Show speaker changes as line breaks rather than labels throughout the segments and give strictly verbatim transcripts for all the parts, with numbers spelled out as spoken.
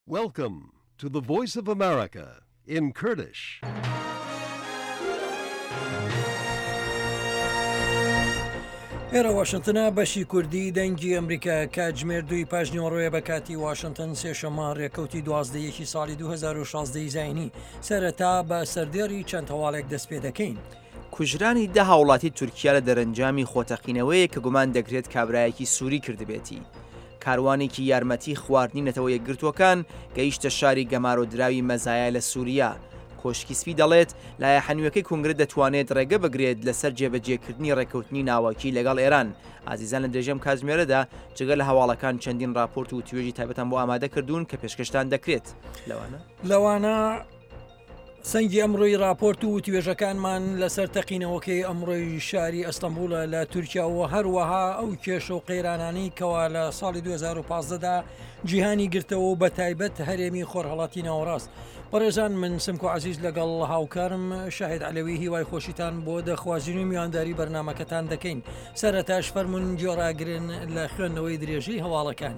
Welcome to the Voice of America in Kurdish.
ئێرە واشنتنە بەشی کوردی دەنگی ئەمریکا کاتژمێر دووی پاش نیوەڕۆیە بە کاتی واشنتن سێشەممە ڕێکەوتی دوازدە یەکی ساڵی دوو هەزار و شازدە ی زاینی. سەرەتا بە سەردێڕی چەند هەواڵێک دەست پێ دەکەین.
کوژرانی دە هاوڵاتی تورکیا لە دەرەنجامی خۆتەقینەوەیەک کە گومان دەکرێت کابرایەکی سوری کردبێتی. کاروانێکی یارمەتی خواردنی نەتەوە یەکگرتووەکان گەیشتە شاری گەمارۆدراوی مەزایا لە سوریا. کۆشکی سپی دەڵێت لایەحە نوێکەی کۆنگرە دەتوانێت ڕێگە بگرێت لەسەر جێبەجێکردنی ڕێککەوتنی ناوەکی لەگەڵ ئێران. ئازیزان لە درێژەم کاتژمێرەدا جگە لە هەواڵەکان چەندین راپۆرت و توێژی تایبەتان بۆ ئامادە کردوون کە پێشکەشتان دەکرێت. لەوانە
لەوانە سەنگی ئەمڕۆی راپۆرت و وتوێژەکانمان لەسەر تەقینەوەکەی ئەمڕۆی شاری ئەستەنبوڵە لە تورکیا و هەروەها ئەو کێشە و قەیرانانەی کەوا لە ساڵی دوو هەزار و پازدە دا جیهانی گرتەوە و بە تایبەت هەرێمی خۆرهەڵاتی ناوەڕاست. بەڕێزان من سمکۆ عەزیز لەگەڵ هاوکارم شاهید عەلەوی هیوای خۆشیتان بۆ دەخوازین و میوانداری بەرنامەکەتان دەکەین. سەرەتاش فەرمونون گوێڕاگرن لە خوێندنەوەی درێژەی هەواڵەکان.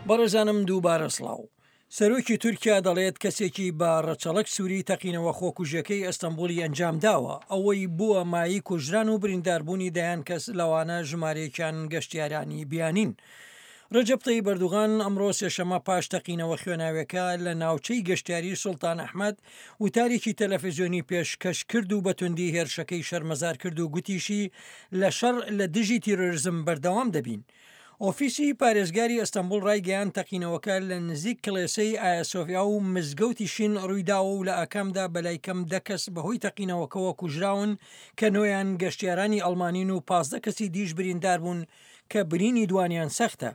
بەڕێزانم دووبارە سڵاو. سەرۆکی تورکیا دەڵێت کەسێکی بە ڕەچەڵەک سووری تەقینەوە خۆکوژیەکەی ئەستەنبوڵی ئەنجامداوە، ئەوەی بووە مایەی کوژران و برینداربوونی دەیان کەس لەوانە ژمارەیەکیان گەشتیارانی بیانین. رەجەب تەیب ئەردوغان ئەمڕۆ سێشەممە پاش تەقینەوە خوێناویەکە لە ناوچەی گەشتیاری سوڵتان ئەحمەد وتارێکی تەلەفزیۆنی پێشکەش کرد و بە توندی هێرشەکەی شەرمەزار کرد و گوتیشی لە شەڕ لە دژی تیرۆرزم بەردەوام دەبین. ئۆفیسی پارێزگاری ئەستەنبوڵ ڕایگەیاند تەقینەوەکە لە نزیک کڵێسەی ئایاسۆفیا و مزگەوتی شین ڕوویداوە و لە ئاکامدا بەلای کەم دە کەس بەهۆی تەقینەوەکەوە کوژراون کە نۆیان گەشتیارانی ئەڵمانین و پازدە کەسی دیش برینداربوون کە برینی دوانیان سەختە.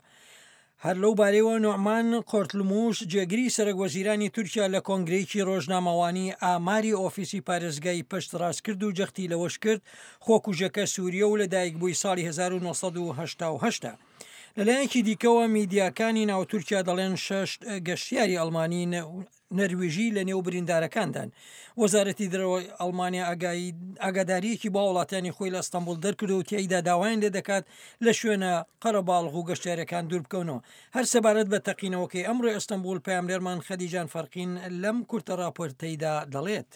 هەر لەو بارەیەوە نوعمان قۆرتلموش جێگری سەرەک وەزیرانی تورکیا لە کۆنگرەیەکی ڕۆژنامەوانی ئاماری ئۆفیسی پارێزگای پشتڕاستکرد و جەختی لەوەش کرد خۆکوژەکە سووریە و لەدایکبووی ساڵی هەزار و نۆ سەد و هەشتا و هەشت ە. لەلایەکی دیکەوە میدیاکانی ناو تورکیا دەڵێن شەش گەشتیاری ئەڵمانی نەرویژی لە نێو بریندارەکاندان. وەزارەتی دەرەوەی ئەڵمانیا ئاگادارییەکی بۆ هاوڵاتیانی خۆی لە ئەستەنبوڵ دەرکردووە و تیایدا داوایان لێدەکات لە شوێنە قەرەباڵغ و گەشتیارەکان دووربکەونەوە. هەر سەبارەت بە تەقینەوەکەی ئەمڕۆی ئەستەنبوڵ پەیامنێرمان خەدیجان فەرقین لەم کورتە راپۆرتەیدا دەڵێت.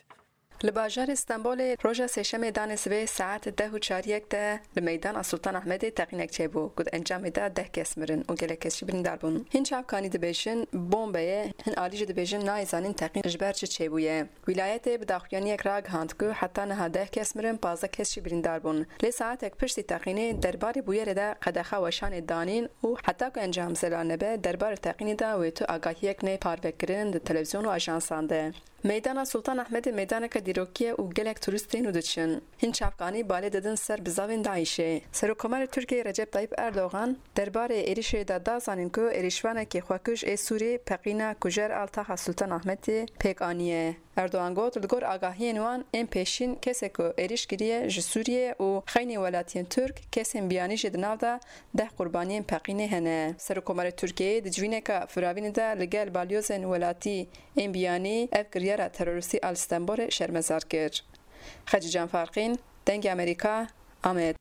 Li bajarê Stenbolê roja sêşemê danê sibê saet deh û çariyek de li meydana Sultan Ahmedê teqînek çêbû ku di encamê de deh kes mirin û gelek kes jî birîndar bûn. Hin çavkanî dibêjin bombe ye, hin alî jî dibêjin nayê zanîn teqîn ji ber çi çêbûye. Wîlayetê bi daxuyaniyek ragihand ku heta niha deh kes mirin, pazdeh kes jî birîndar bûn. Lê saetek piştî teqînê derbarê bûyerê de qedexa weşanê danîn û heta ku encam zelal nebe derbarê teqînê de wê tu agahiyek neyê parvekirin di televîzyon û ajansan de. Meydana Sultan Ahmedê meydaneke dîrokî ye û gelek turîst tên û diçin. Hin çavkanî balê didin ser bizavên DAIŞê. Serokkomarê Tirkiyeyê Recep Tayyip Erdogan derbarê êrişê de da zanîn ku êrişvanekî xwekuj ê Sûrî peqîna kujer a taxa Sultan Ahmedê pêk aniye. Erdogan got li gor agahiyên wan ên pêşîn kesê ku êriş kiriye ji Sûriyê û xeynê welatiyên Türk kesên biyanî jî di nav de deh qurbaniyên peqînê hene. Serokkomarê Tirkiyeyê di civîneke firavînê de li gel balyozên welatî ên biyanî ev kiryara terorîstî a li Stenbolê şermezar kir. Xecîcan Farqîn, Dengê Amerîka, Amed.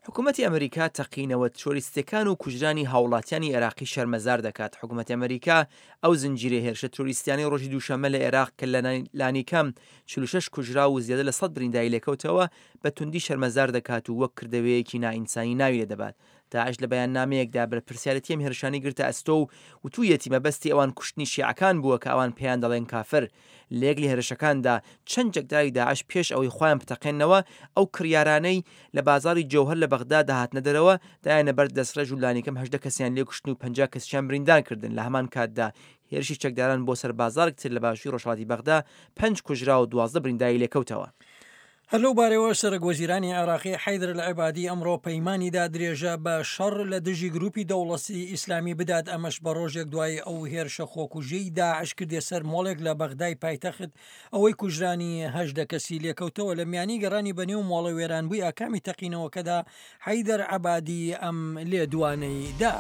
حکومەتی ئەمریکا تەقینەوە ترۆریستیەکان و کوژرانی هاوڵاتیانی عێراقی شەرمەزار دەکات. حکومەتی ئەمریکا ئەو زنجیرەی هێرشە ترۆریستیانەی ڕۆژی دووشەممە لە عێراق کە لە لانیکەم چل و شەش کوژراو و زیادە لە سەد برینداری لێکەوتەوە بە توندی شەرمەزار دەکات و وەک کردەوەیەکی نائینسانی ناوی لێدەبات. داعش لە بەیاننامەیەکدا بەرپرسیارێتی ئەم هێرشانەی گرتە ئەستۆ و وتوویەتی مەبەستی ئەوان کوشتنی شیعەکان بووە کە ئەوان پێیان دەڵێن کافر. لە یەک لە هێرشەکاندا چەند چەکداری داعش پێش ئەوەی خۆیان بتەقێننەوە ئەو کڕیارانەی لە بازاڕی جەوهەر لە بەغدا دەهاتنە دەرەوە دایانە بەر دەستڕێژ و لانیکەم هەژدە کەسیان لێکوشتن و پەنجا کەسیان بریندار کردن. لە هەمان کاتدا هێرشی چەکداران بۆ سەر بازاڕێک تر لە باشووری ڕۆژهەڵاتی بەغدا پەنج کوژرا و دوازدە برینداری لێکەوتەوە.
هەر لەو بارەیەوە سەرەک وەزیرانی عێراقی حەیدر العەبادی ئەمڕۆ پەیمانی دا درێژە بە شەڕ لە دژی گروپی دەوڵەتی ئیسلامی بدات، ئەمەش بە ڕۆژێک دوای ئەو هێرشە خۆکوژیەی داعش کردیە سەر مۆڵێک لە بەغدای پایتەخت، ئەوەی کوژرانی هەژدە کەسی لێکەوتەوە. لە میانی گەڕانی بەنێو مۆڵە وێرانبووی ئاکامی تەقینەوەکەدا حەیدەر عەبادی ئەم لێدوانەی دا.